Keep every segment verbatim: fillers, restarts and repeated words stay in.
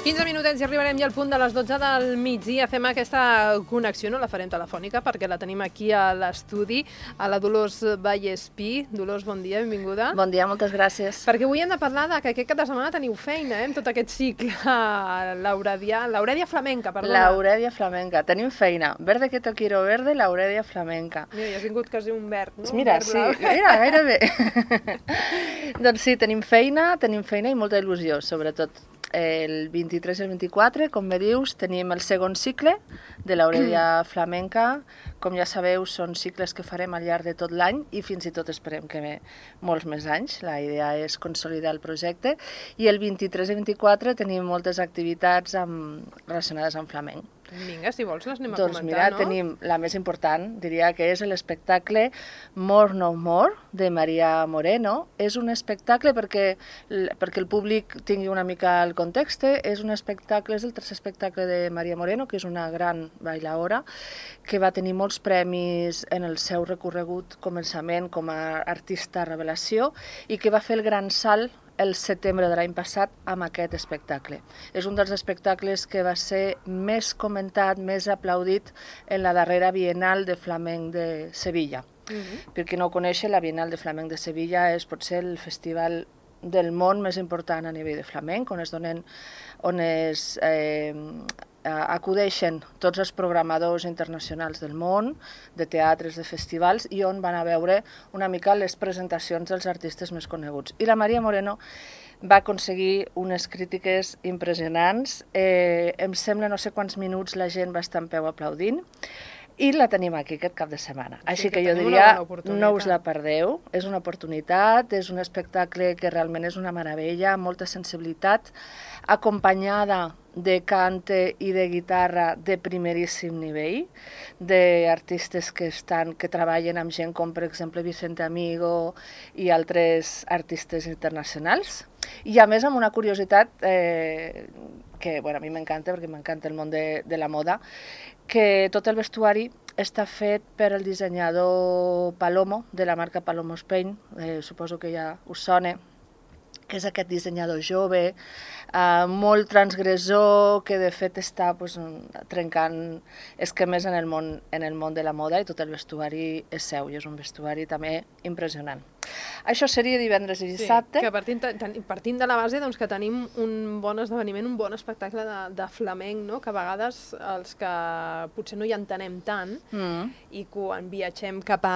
quinze minutets i arribarem ja al punt de les dotze del migdia. Fem aquesta connexió, no la farem telefònica, perquè la tenim aquí a l'estudi, a la Dolors Vallespí. Dolors, bon dia, benvinguda. Bon dia, moltes gràcies. Perquè avui hem de parlar de que aquest cap de setmana teniu feina, eh, amb tot aquest cicle. L'Aurèdia, l'Aurèdia Flamenca, perdona. L'Aurèdia Flamenca, tenim feina. Verde que te quiero verde, l'Aurèdia Flamenca. Mira, ja has vingut quasi un verd, no? Mira, sí, mira, gairebé. Doncs sí, tenim feina, tenim feina i molta il·lusió, sobretot. El vint-i-tres i el vint-i-quatre, com bé dius, tenim el segon cicle de l'Aurèdia Flamenca. Com ja sabeu, són cicles que farem al llarg de tot l'any i fins i tot esperem que ve molts més anys. La idea és consolidar el projecte. I el vint-i-tres i vint-i-quatre tenim moltes activitats amb, relacionades amb flamenc. Vinga, si vols les anem a doncs comentar, mira, no? Tenim la més important, diria que és l'espectacle More No More, de Maria Moreno. És un espectacle, perquè, perquè el públic tingui una mica el context, és un espectacle, és el tercer espectacle de Maria Moreno, que és una gran bailaora, que va tenir molts premis en el seu recorregut començament com a artista revelació i que va fer el gran salt el setembre de l'any passat amb aquest espectacle. És un dels espectacles que va ser més comentat, més aplaudit en la darrera Bienal de Flamenc de Sevilla. Uh-huh. Per qui no ho coneix, la Bienal de Flamenc de Sevilla és potser el festival del món més important a nivell de flamenc, on es donen, on es eh, acudeixen tots els programadors internacionals del món, de teatres, de festivals, i on van a veure una mica les presentacions dels artistes més coneguts. I la Maria Moreno va aconseguir unes crítiques impressionants. Eh, em sembla no sé quants minuts la gent va estar en peu aplaudint, i la tenim aquí aquest cap de setmana. Sí, Així que, que jo diria, no us la perdeu, és una oportunitat, és un espectacle que realment és una meravella, amb molta sensibilitat, acompanyada de cante i de guitarra de primeríssim nivell, d'artistes que estan que treballen amb gent com, per exemple, Vicente Amigo i altres artistes internacionals. I a més amb una curiositat eh, que bueno, a mi m'encanta, perquè m'encanta el món de, de la moda, que tot el vestuari està fet per el dissenyador Palomo, de la marca Palomo Spain, eh, suposo que ja us sona, que és aquest dissenyador jove, eh, molt transgressor, que de fet està pues, trencant esquemes en el, món, en el món de la moda, i tot el vestuari és seu, i és un vestuari també impressionant. Això seria divendres i dissabte. Sí, que partint, partint de la base doncs, que tenim un bon esdeveniment, un bon espectacle de, de flamenc, no? Que a vegades els que potser no hi entenem tant, mm. i quan viatgem cap a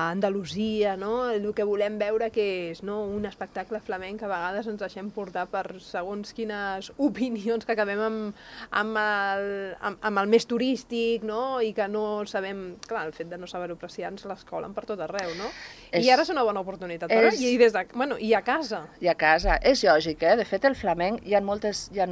Andalusia, no? El que volem veure que és, no? Un espectacle flamenc, que a vegades ens deixem portar per segons quines opinions que acabem amb, amb, el, amb, amb el més turístic, no? I que no sabem, clar, el fet de no saber-ho apreciar ens l'escolen per tot arreu, no? És... I ara és una bona oportunitat. És... I, des de... bueno, i a casa. I a casa. És lògic, eh? De fet, el flamenc, hi ha, moltes, hi ha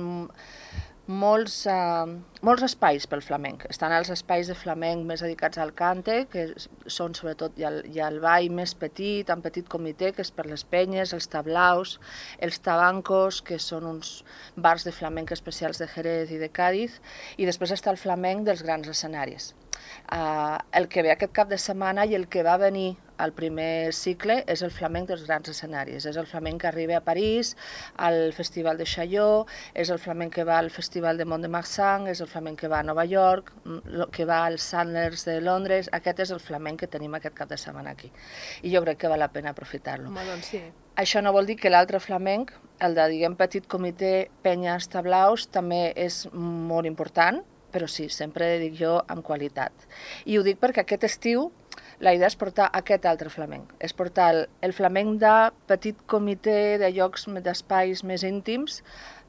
molts, uh, molts espais pel flamenc. Estan els espais de flamenc més dedicats al cante, que són sobretot hi ha, hi ha el ball més petit, en petit comitè, que és per les penyes, els tablaus, els tabancos, que són uns bars de flamenc especials de Jerez i de Càdiz, i després està el flamenc dels grans escenaris. Uh, el que ve aquest cap de setmana i el que va venir al primer cicle és el flamenc dels grans escenaris. És el flamenc que arriba a París, al Festival de Chaillot, és el flamenc que va al Festival de Mont-de-Marsan, és el flamenc que va a Nova York, que va als Sanders de Londres. Aquest és el flamenc que tenim aquest cap de setmana aquí. I jo crec que val la pena aprofitar-lo. Home, doncs sí. Això no vol dir que l'altre flamenc, el de, diguem, petit comitè, penyes, tablaus, també és molt important, però sí, sempre dic jo amb qualitat. I ho dic perquè aquest estiu la idea és portar aquest altre flamenc, és portar el, el flamenc de petit comitè, de llocs, d'espais més íntims,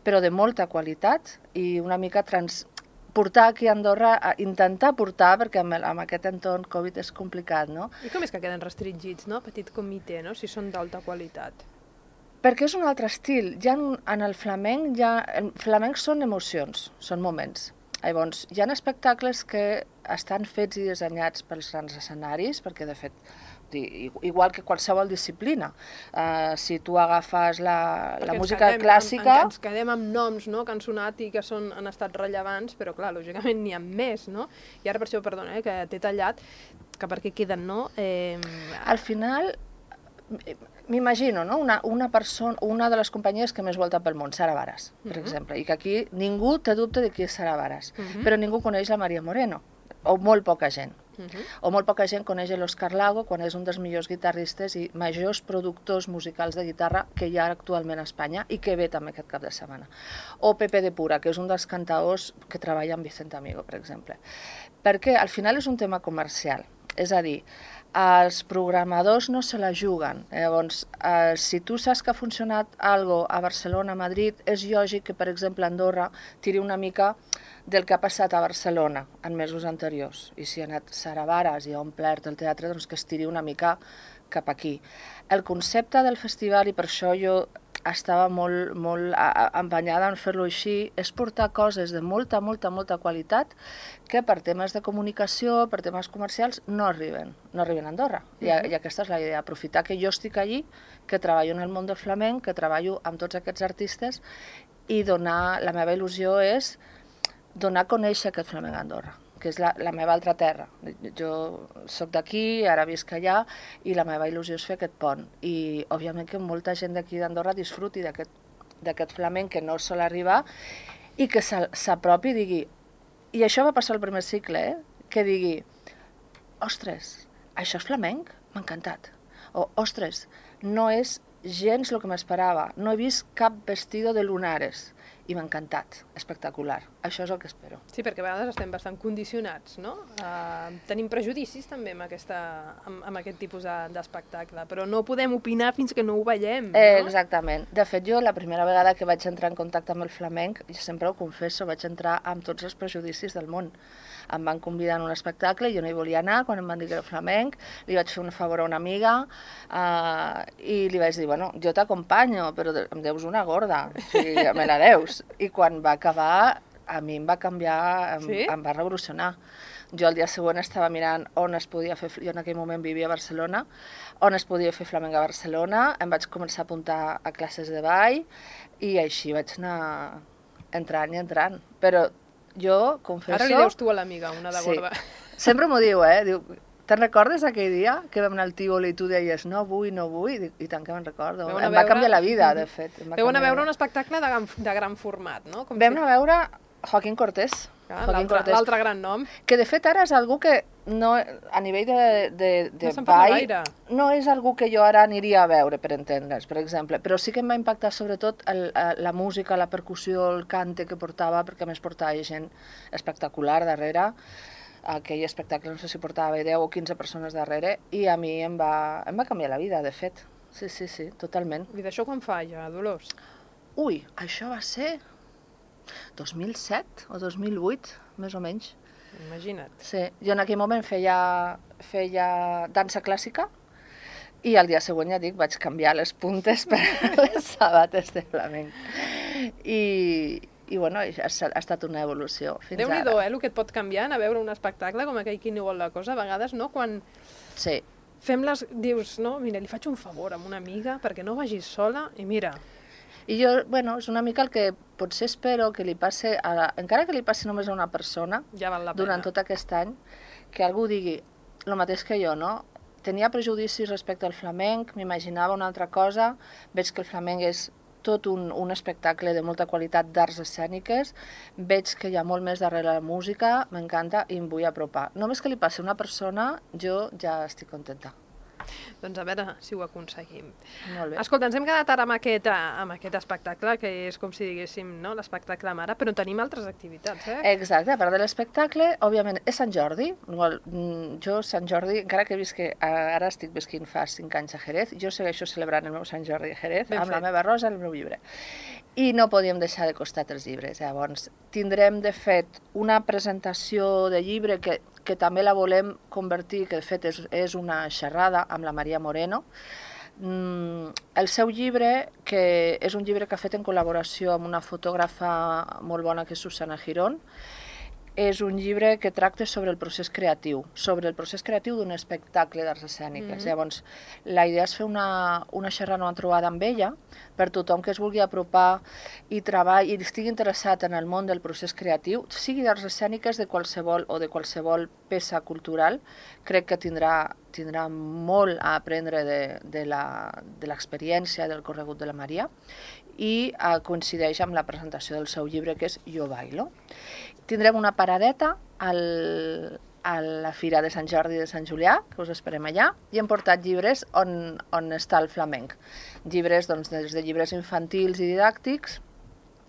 però de molta qualitat i una mica trans... portar aquí a Andorra, a intentar portar, perquè amb, amb aquest entorn Covid és complicat, no? I com és que queden restringits, no? Petit comitè, no? Si són d'alta qualitat. Perquè és un altre estil. Ja en, en el flamenc, ja, el flamenc són emocions, són moments. Llavors, hi ha espectacles que estan fets i dissenyats pels grans escenaris, perquè de fet, igual que qualsevol disciplina, uh, si tu agafes la, la música quedem, clàssica... En, ens quedem amb noms, no?, que han sonat i que són, han estat rellevants, però clar, lògicament n'hi ha més, no? I ara per això, perdona, eh, que t'he tallat, que perquè queden, no? Eh... Al final, m'imagino, no? una, una, persona, una de les companyies que més volta pel món, Sara Varas, per uh-huh. exemple, i que aquí ningú té dubte de qui és Sara Varas, uh-huh. però ningú coneix la Maria Moreno, o molt poca gent. Uh-huh. O molt poca gent coneix l'Òscar Lago quan és un dels millors guitarristes i majors productors musicals de guitarra que hi ha actualment a Espanya i que ve també aquest cap de setmana. O Pepe de Pura, que és un dels cantaors que treballa amb Vicent Amigo, per exemple. Perquè al final és un tema comercial, és a dir, els programadors no se la juguen. Llavors, eh, si tu saps que ha funcionat algo a Barcelona, a Madrid, és lògic que, per exemple, Andorra tiri una mica del que ha passat a Barcelona en mesos anteriors. I si ha anat Sara Varas i ha omplert el teatre, doncs que es tiri una mica cap aquí. El concepte del festival, i per això jo estava molt, molt empenyada en fer-lo així, és portar coses de molta, molta, molta qualitat que per temes de comunicació, per temes comercials, no arriben, no arriben a Andorra. I, I aquesta és la idea, aprofitar que jo estic allí, que treballo en el món del flamenc, que treballo amb tots aquests artistes i donar, la meva il·lusió és donar a conèixer aquest flamenc a Andorra, que és la, la meva altra terra. Jo soc d'aquí, ara visc allà, i la meva il·lusió és fer aquest pont. I, òbviament, que molta gent d'aquí d'Andorra disfruti d'aquest flamenc que no sol arribar i que s'apropi i digui... I això va passar al primer cicle, eh? Que digui, ostres, això és flamenc? M'ha encantat. O, ostres, no és gens el que m'esperava. No he vist cap vestido de lunares. I m'ha encantat, espectacular. Això és el que espero. Sí, perquè a vegades estem bastant condicionats, no? Uh, tenim prejudicis també amb, aquesta, amb, amb aquest tipus d'espectacle, però no podem opinar fins que no ho veiem, no? Eh, exactament. De fet, jo la primera vegada que vaig entrar en contacte amb el flamenc, jo sempre ho confesso, vaig entrar amb tots els prejudicis del món. Em van convidar en un espectacle, jo no hi volia anar, quan em van dir que era flamenc, li vaig fer un favor a una amiga uh, i li vaig dir, bueno, jo t'acompanyo, però em deus una gorda, o sigui, me la deus. I quan va acabar, a mi em va canviar, em, sí? em va revolucionar. Jo el dia següent estava mirant on es podia fer, jo en aquell moment vivia a Barcelona, on es podia fer flamenc a Barcelona, em vaig començar a apuntar a classes de ball i així vaig anar entrant i entrant. Però jo confesso... Ara li deus tu a l'amiga, una de gorda. Sí. Sempre m'ho diu, eh? Diu, te'n recordes aquell dia que vam anar al Tívoli i tu deies no vull, no vull? I tant que me'n recordo. Em veure... va canviar la vida, de fet. Veu anar a veure un espectacle de gran, de gran format, no? Com vam si... anar a veure Joaquín Cortés. Ah, l'altre gran nom. Que de fet ara és algú que no, a nivell de, de, de no ball no és algú que jo ara aniria a veure, per entendre's, per exemple, però sí que em va impactar sobretot el, la música, la percussió, el cante que portava, perquè a més portava gent espectacular darrere. Aquell espectacle no sé si portava deu o quinze persones darrere i a mi em va, em va canviar la vida, de fet. Sí, sí, sí, totalment. I d'això quan fa ja, Dolors? Ui, això va ser dos mil set o dos mil vuit, més o menys. Imagina't. Sí, jo en aquell moment feia, feia dansa clàssica i al dia següent, ja dic, vaig canviar les puntes per les sabates de flamenc. I, i bueno, ha, ha estat una evolució fins Déu-n'hi-do, ara. Déu-n'hi-do, eh, el que et pot canviar anar a veure un espectacle com aquell Qui no vol la cosa, a vegades, no? Quan sí. fem les... dius, no, mira, li faig un favor a una amiga perquè no vagis sola i mira... I jo, bueno, és una mica el que potser espero que li passi, a la, encara que li passi només a una persona, ja val la pena. Durant tot aquest any, que algú digui el mateix que jo, no? Tenia prejudicis respecte al flamenc, m'imaginava una altra cosa, veig que el flamenc és tot un, un espectacle de molta qualitat d'arts escèniques, veig que hi ha molt més darrere la música, m'encanta i em vull apropar. Només que li passi a una persona, jo ja estic contenta. Doncs a veure si ho aconseguim. Molt bé. Escolta, ens hem quedat ara amb aquest, amb aquest espectacle, que és com si diguéssim, no?, l'espectacle mare, però tenim altres activitats, eh? Exacte, a part de l'espectacle, òbviament, és Sant Jordi. Jo, Sant Jordi, encara que visqui, ara estic visquint fa cinc anys a Jerez, jo segueixo celebrant el meu Sant Jordi a Jerez, ben amb fet. La meva rosa i el meu llibre. I no podíem deixar de costat els llibres. Llavors, tindrem, de fet, una presentació de llibre que que també la volem convertir, que de fet és, és una xerrada amb la Maria Moreno. Mm, el seu llibre, que és un llibre que ha fet en col·laboració amb una fotògrafa molt bona que és Susana Girón, és un llibre que tracta sobre el procés creatiu, sobre el procés creatiu d'un espectacle d'arts escèniques. Mm-hmm. Llavors, la idea és fer una, una xerrada, una trobada amb ella, per tothom que es vulgui apropar i treballi i estigui interessat en el món del procés creatiu, sigui d'arts escèniques de qualsevol o de qualsevol peça cultural, crec que tindrà, tindrà molt a aprendre de, de l'experiència del corregut de la Maria, i eh, coincideix amb la presentació del seu llibre, que és Jo bailo. Tindrem una paradeta al, a la Fira de Sant Jordi de Sant Julià, que us esperem allà, i hem portat llibres on, on està el flamenc. Llibres, doncs, des de llibres infantils i didàctics,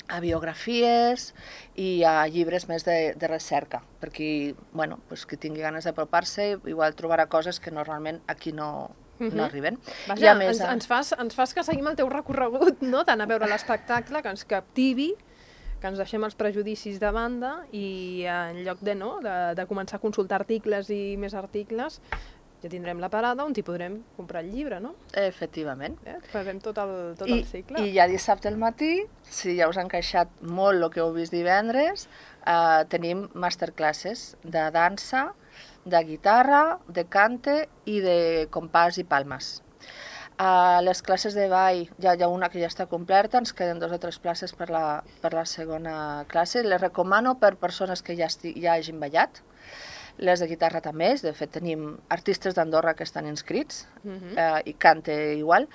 a biografies i a llibres més de, de recerca, per qui, bueno, pues, qui tingui ganes d'apropar-se, igual trobarà coses que normalment aquí no, Uh-huh. no arriben. Vaja, més, ens, ens, fas, ens fas que seguim el teu recorregut, no? Tant a veure l'espectacle, que ens captivi, que ens deixem els prejudicis de banda i en lloc de, no, de, de començar a consultar articles i més articles, ja tindrem la parada on hi podrem comprar el llibre, no? Efectivament. Eh? Farem tot el, tot I, el cicle. I ja dissabte al matí, si ja us ha encaixat molt el que heu vist divendres, eh, tenim masterclasses de dansa, de guitarra, de cante i de compàs i palmes. A les classes de ball ja hi ha una que ja està completa, ens queden dos o tres places per la, per la segona classe. Les recomano per persones que ja, esti, ja hagin ballat. Les de guitarra també, de fet tenim artistes d'Andorra que estan inscrits, uh-huh. eh, i cante igual.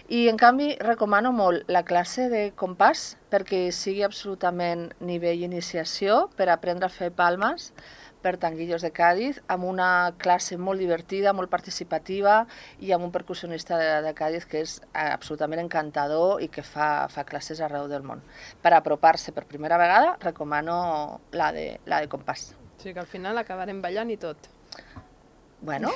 I en canvi recomano molt la classe de compàs perquè sigui absolutament nivell iniciació per aprendre a fer palmes per Tanguillos de Cádiz, amb una classe molt divertida, molt participativa i amb un percussionista de, de Cádiz que és absolutament encantador i que fa, fa classes arreu del món. Per apropar-se per primera vegada, recomano la de, la de compàs. O sigui que al final acabarem ballant i tot. Bueno,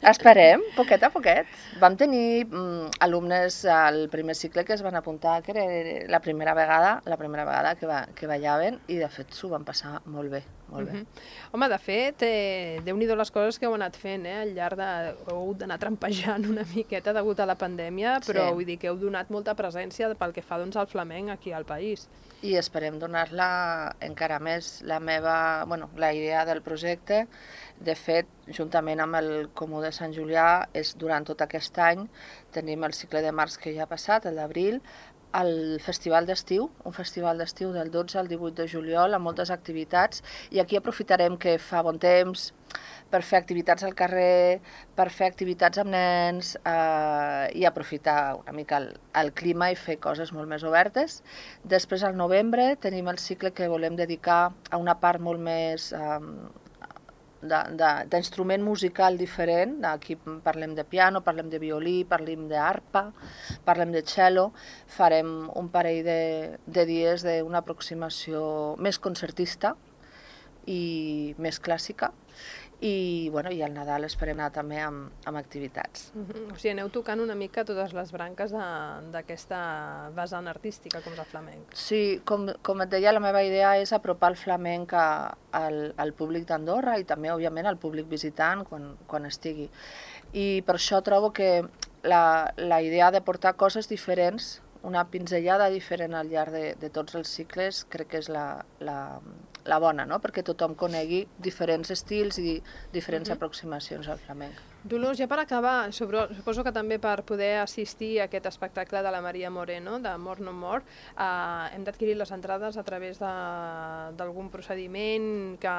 esperem, poquet a poquet. Vam tenir mm, alumnes al primer cicle que es van apuntar, que era la primera vegada, la primera vegada que, va, que ballaven, i de fet s'ho van passar molt bé. Molt bé. Uh-huh. Home, de fet, eh, Déu-n'hi-do les coses que heu anat fent, eh? Al llarg de... heu hagut d'anar trampejant una miqueta degut a la pandèmia, però sí. Vull dir que heu donat molta presència pel que fa doncs, al flamenc aquí al país. I esperem donar-la encara més. La meva, bueno, la idea del projecte, de fet, juntament amb el Comú de Sant Julià, és durant tot aquest any, tenim el cicle de març que ja ha passat, el d'abril, el festival d'estiu, un festival d'estiu del dotze al divuit de juliol, amb moltes activitats, i aquí aprofitarem que fa bon temps per fer activitats al carrer, per fer activitats amb nens, eh, i aprofitar una mica el, el clima i fer coses molt més obertes. Després, al novembre, tenim el cicle que volem dedicar a una part molt més... Eh, d'instrument musical diferent. Aquí parlem de piano, parlem de violí, parlem d'arpa, parlem de cello. Farem un parell de, de dies d'una aproximació més concertista i més clàssica. I, bueno, i al Nadal esperem anar també amb, amb activitats. Uh-huh. O sigui, aneu tocant una mica totes les branques d'aquesta vessant artística, com és el flamenc. Sí, com, com et deia, la meva idea és apropar el flamenc a, al, al públic d'Andorra i també, òbviament, al públic visitant quan, quan estigui. I per això trobo que la, la idea de portar coses diferents, una pinzellada diferent al llarg de, de tots els cicles, crec que és la, la, la bona, no? Perquè tothom conegui diferents estils i diferents uh-huh. aproximacions al flamenc. Dolors, ja per acabar, sobre, suposo que també per poder assistir a aquest espectacle de la Maria Moreno, de More No More, eh, hem d'adquirir les entrades a través d'algun procediment que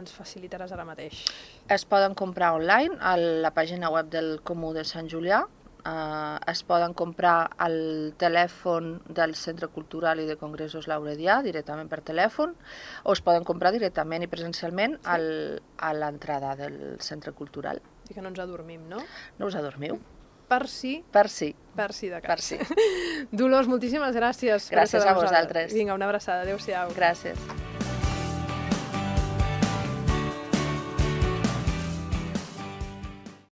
ens facilitaràs ara mateix. Es poden comprar online a la pàgina web del Comú de Sant Julià. Uh, es poden comprar al telèfon del Centre Cultural i de Congressos Lauredià, directament per telèfon, o es poden comprar directament i presencialment sí. al, a l'entrada del Centre Cultural. I que no ens adormim, no? No us adormiu. Per si... Per si. Per si de cas. Per si. Dolors, moltíssimes gràcies. Gràcies a vosaltres. Vinga, una abraçada. Adéu-siau. Gràcies.